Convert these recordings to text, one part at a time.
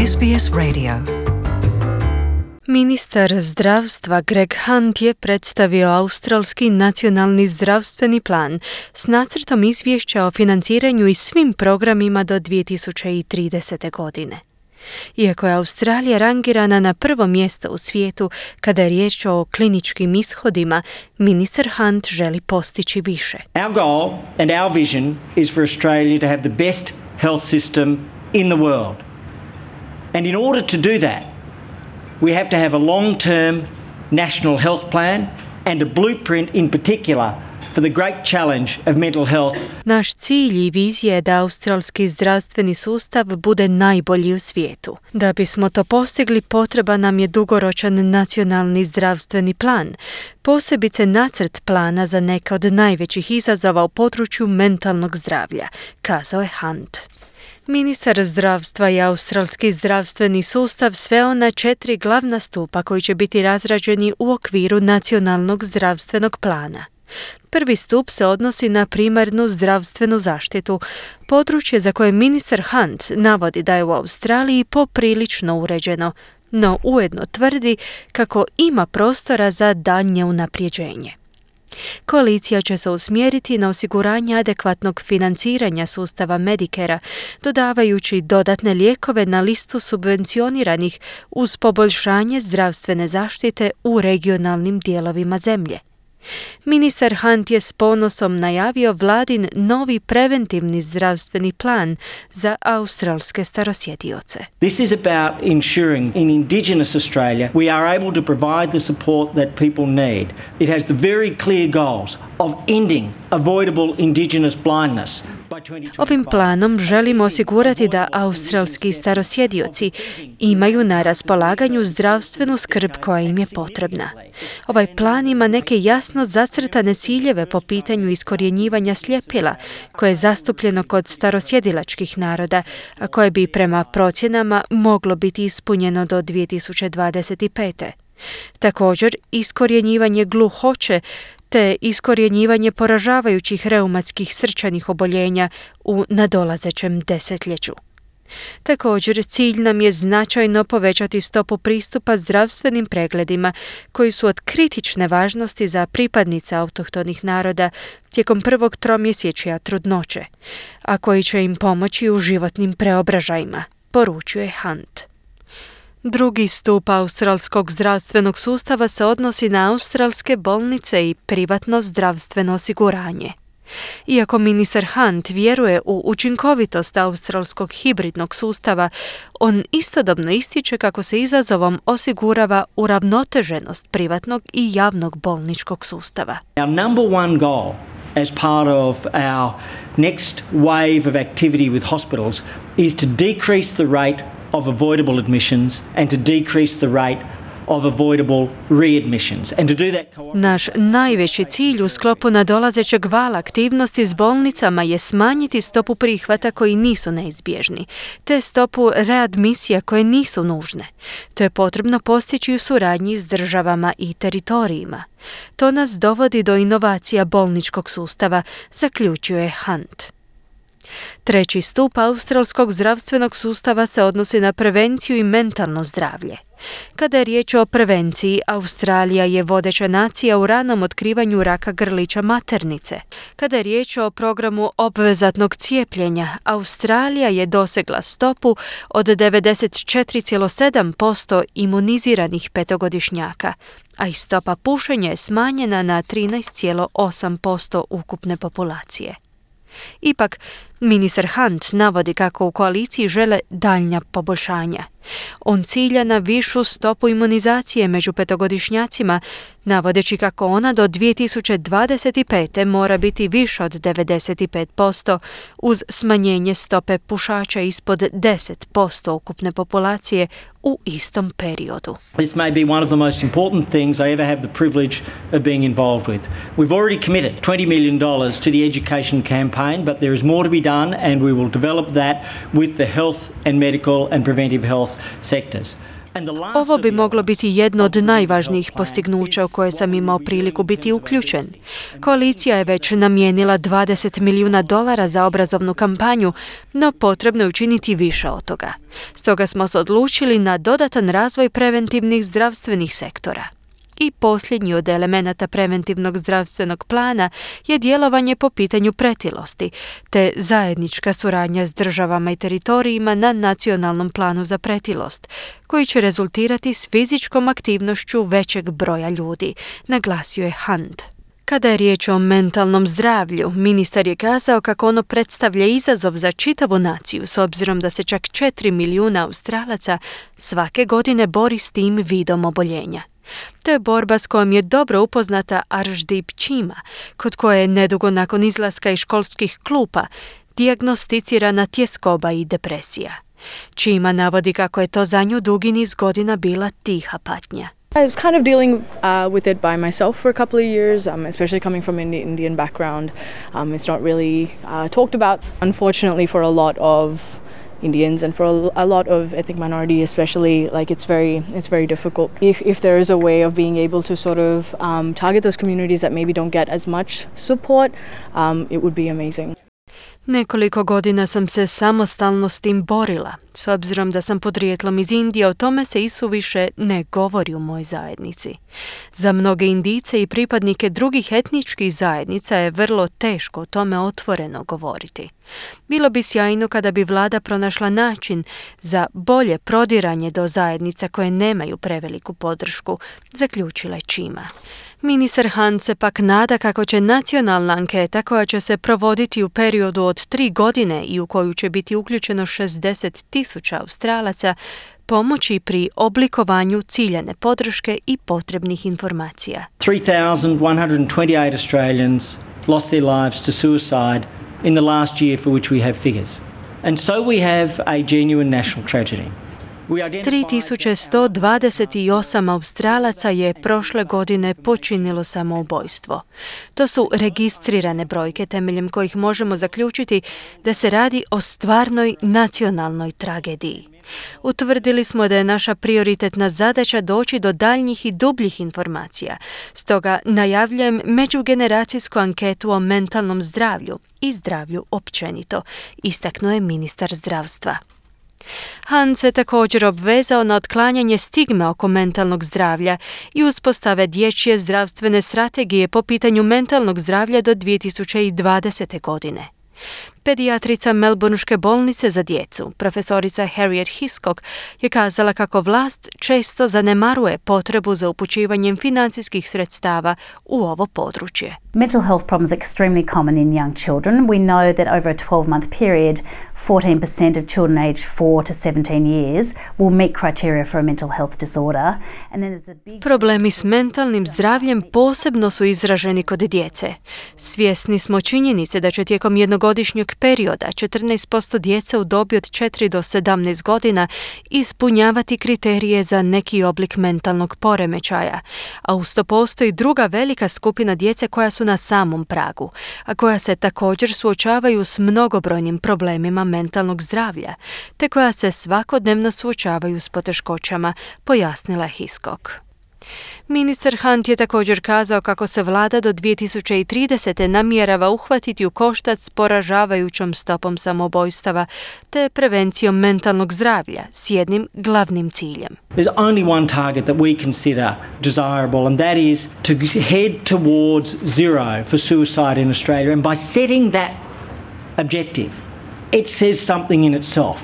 SBS Radio. Ministar zdravstva Greg Hunt je predstavio australski nacionalni zdravstveni plan s nacrtom izvješća o financiranju i svim programima do 2030. godine. Iako je Australija rangirana na prvo mjesto u svijetu kada je riječ o kliničkim ishodima, ministar Hunt želi postići više. Our goal and our vision is for Australia to have the best health system in the world. And in order to do that, we have to have a long-term national health plan and a blueprint in particular for the great challenge of mental health. Naš cilj i vizija je da australski zdravstveni sustav bude najbolji u svijetu. Da bismo to postigli, potreban nam je dugoročan nacionalni zdravstveni plan, posebice nacrt plana za neke od najvećih izazova u području mentalnog zdravlja, kazao je Hunt. Ministar zdravstva i australski zdravstveni sustav sveo na 4 glavna stupa koji će biti razrađeni u okviru nacionalnog zdravstvenog plana. Prvi stup se odnosi na primarnu zdravstvenu zaštitu, područje za koje ministar Hunt navodi da je u Australiji poprilično uređeno, no ujedno tvrdi kako ima prostora za daljnje unapređenje. Koalicija će se usmjeriti na osiguranje adekvatnog financiranja sustava Medicare-a, dodavajući dodatne lijekove na listu subvencioniranih uz poboljšanje zdravstvene zaštite u regionalnim dijelovima zemlje. Ministar Hunt je s ponosom najavio vladin novi preventivni zdravstveni plan za australske starosjedioce. This is about ensuring in Indigenous Australia we are able to provide the support that people need. It has the very clear goals of ending avoidable Indigenous blindness. Ovim planom želimo osigurati da australski starosjedioci imaju na raspolaganju zdravstvenu skrb koja im je potrebna. Ovaj plan ima neke jasno zacrtane ciljeve po pitanju iskorjenjivanja sljepila, koje je zastupljeno kod starosjedilačkih naroda, a koje bi prema procjenama moglo biti ispunjeno do 2025. Također, iskorjenjivanje gluhoće te iskorjenjivanje poražavajućih reumatskih srčanih oboljenja u nadolazećem desetljeću. Također, cilj nam je značajno povećati stopu pristupa zdravstvenim pregledima koji su od kritične važnosti za pripadnice autohtonih naroda tijekom prvog tromjesečja trudnoće, a koji će im pomoći u životnim preobražajima, poručuje Hunt. Drugi stup australskog zdravstvenog sustava se odnosi na australske bolnice i privatno zdravstveno osiguranje. Iako ministar Hunt vjeruje u učinkovitost australskog hibridnog sustava, on istodobno ističe kako se izazovom osigurava uravnoteženost privatnog i javnog bolničkog sustava. Our number one goal as part of our next wave of activity with hospitals is to decrease the rate of avoidable admissions and to decrease the rate of avoidable readmissions. And to do that Naš najveći cilj u sklopu nadolazećeg vala aktivnosti s bolnicama je smanjiti stopu prihvata koji nisu neizbježni, te stopu readmisija koje nisu nužne. To je potrebno postići u suradnji s državama i teritorijima. To nas dovodi do inovacija bolničkog sustava, zaključuje Hunt. Treći stup australskog zdravstvenog sustava se odnosi na prevenciju i mentalno zdravlje. Kada je riječ o prevenciji, Australija je vodeća nacija u ranom otkrivanju raka grlića maternice. Kada je riječ o programu obvezatnog cijepljenja, Australija je dosegla stopu od 94,7% imuniziranih petogodišnjaka, a i stopa pušenja je smanjena na 13,8% ukupne populacije. Ipak, ministar Hunt navodi kako u koaliciji žele daljnja poboljšanja. On cilja na višu stopu imunizacije među petogodišnjacima, navodeći kako ona do 2025. mora biti više od 95% uz smanjenje stope pušača ispod 10% ukupne populacije u istom periodu. This may be one of the most important things I ever have the privilege of being involved with. We've already committed $20 million to the education campaign, but there is more to be done and we will develop that with the health and medical and preventive health sectors. Ovo bi moglo biti jedno od najvažnijih postignuća u koje sam imao priliku biti uključen. Koalicija je već namijenila $20 milijuna za obrazovnu kampanju, no potrebno je učiniti više od toga. Stoga smo se odlučili na dodatan razvoj preventivnih zdravstvenih sektora. I posljednji od elemenata preventivnog zdravstvenog plana je djelovanje po pitanju pretilosti, te zajednička suradnja s državama i teritorijima na nacionalnom planu za pretilost, koji će rezultirati s fizičkom aktivnošću većeg broja ljudi, naglasio je Hunt. Kada je riječ o mentalnom zdravlju, ministar je kazao kako ono predstavlja izazov za čitavu naciju, s obzirom da se čak 4 milijuna Australaca svake godine bori s tim vidom oboljenja. To je borba s kojom je dobro upoznata Arshdeep Chima, kod koje je nedugo nakon izlaska iz školskih klupa dijagnosticirana tjeskoba i depresija. Chima navodi kako je to za nju dugi niz godina bila tiha patnja. I was kind of dealing with it by myself for a couple of years, especially coming from an Indian background. It's not really talked about, unfortunately, for a lot of Indians and for a lot of ethnic minority especially. Like it's very difficult. If there is a way of being able to sort of target those communities that maybe don't get as much support, it would be amazing. Nekoliko godina sam se samostalno s tim borila. S obzirom da sam podrijetlom iz Indije, o tome se isuviše ne govori u mojoj zajednici. Za mnoge Indijce i pripadnike drugih etničkih zajednica je vrlo teško o tome otvoreno govoriti. Bilo bi sjajno kada bi vlada pronašla način za bolje prodiranje do zajednica koje nemaju preveliku podršku, zaključila je Chima. Ministar Hunt se pak nada kako će nacionalna anketa koja će se provoditi u periodu od 3 godine i u koju će biti uključeno 60,000 Australaca pomoći pri oblikovanju ciljane podrške i potrebnih informacija. 3,128 Australians lost their lives to suicide in the last year for which we have figures. And so we have a genuine national tragedy. 3128 Australaca je prošle godine počinilo samoubojstvo. To su registrirane brojke temeljem kojih možemo zaključiti da se radi o stvarnoj nacionalnoj tragediji. Utvrdili smo da je naša prioritetna zadaća doći do daljnjih i dubljih informacija. Stoga najavljujem međugeneracijsku anketu o mentalnom zdravlju i zdravlju općenito, istaknuo je ministar zdravstva. Hunt se također obvezao na otklanjanje stigme oko mentalnog zdravlja i uspostave dječje zdravstvene strategije po pitanju mentalnog zdravlja do 2020. godine. Pedijatrica Melbourneške bolnice za djecu, profesorica Harriet Hiscock, je kazala kako vlast često zanemaruje potrebu za upućivanjem financijskih sredstava u ovo područje. Mental health problems are extremely common in young children. We know that over a 12-month period, 14% of children aged 4 to 17 years will meet criteria for a mental health disorder. And then there's a big... Problemi s mentalnim zdravljem posebno su izraženi kod djece. Svjesni smo činjenice da će tijekom jednogodišnjeg perioda 14% djece u dobi od 4 do 17 godina ispunjavati kriterije za neki oblik mentalnog poremećaja, a uz to postoji druga velika skupina djece koja su na samom pragu, a koja se također suočavaju s mnogobrojnim problemima mentalnog zdravlja, te koja se svakodnevno suočavaju s poteškoćama, pojasnila je Hiscock. Ministar Hunt je također kazao kako se vlada do 2030. namjerava uhvatiti u koštac s poražavajućom stopom samoubojstava te prevencijom mentalnog zdravlja s jednim glavnim ciljem. There's only one target that we consider desirable, and that is to head towards zero for suicide in Australia. And by setting that objective, it says something in itself.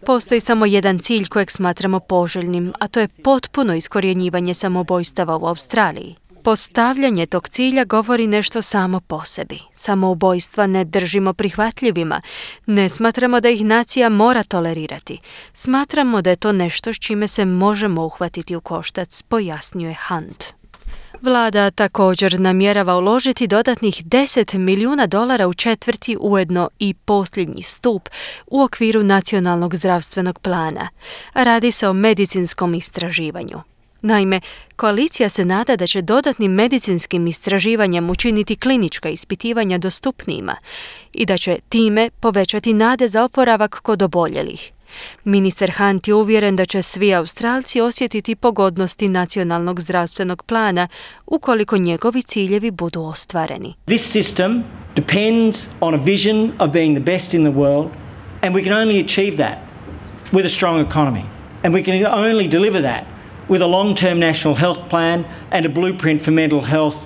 Postoji samo jedan cilj kojeg smatramo poželjnim, a to je potpuno iskorjenjivanje samoubojstava u Australiji. Postavljanje tog cilja govori nešto samo po sebi. Samoubojstva ne držimo prihvatljivima. Ne smatramo da ih nacija mora tolerirati. Smatramo da je to nešto s čime se možemo uhvatiti u koštac, pojasnio je Hunt. Vlada također namjerava uložiti dodatnih $10 milijuna u četvrti, ujedno i posljednji stup u okviru nacionalnog zdravstvenog plana. Radi se o medicinskom istraživanju. Naime, koalicija se nada da će dodatnim medicinskim istraživanjem učiniti klinička ispitivanja dostupnijima i da će time povećati nade za oporavak kod oboljelih. Ministar Hunt je uvjeren da će svi Australci osjetiti pogodnosti nacionalnog zdravstvenog plana ukoliko njegovi ciljevi budu ostvareni. This system depends on a vision of being the best in the world, and we can only achieve that with a strong economy. And we can only deliver that with a long-term national health plan and a blueprint for mental health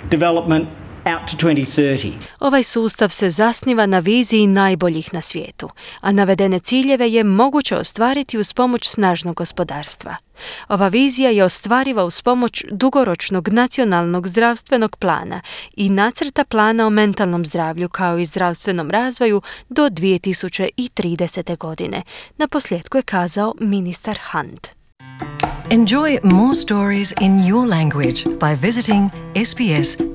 development out to 2030. Ovaj sustav se zasniva na viziji najboljih na svijetu, a navedene ciljeve je moguće ostvariti uz pomoć snažnog gospodarstva. Ova vizija je ostvariva uz pomoć dugoročnog nacionalnog zdravstvenog plana i nacrta plana o mentalnom zdravlju kao i zdravstvenom razvoju do 2030. godine. Naposljetku je kazao ministar Hunt. Enjoy more stories in your language by visiting sbs.com.au.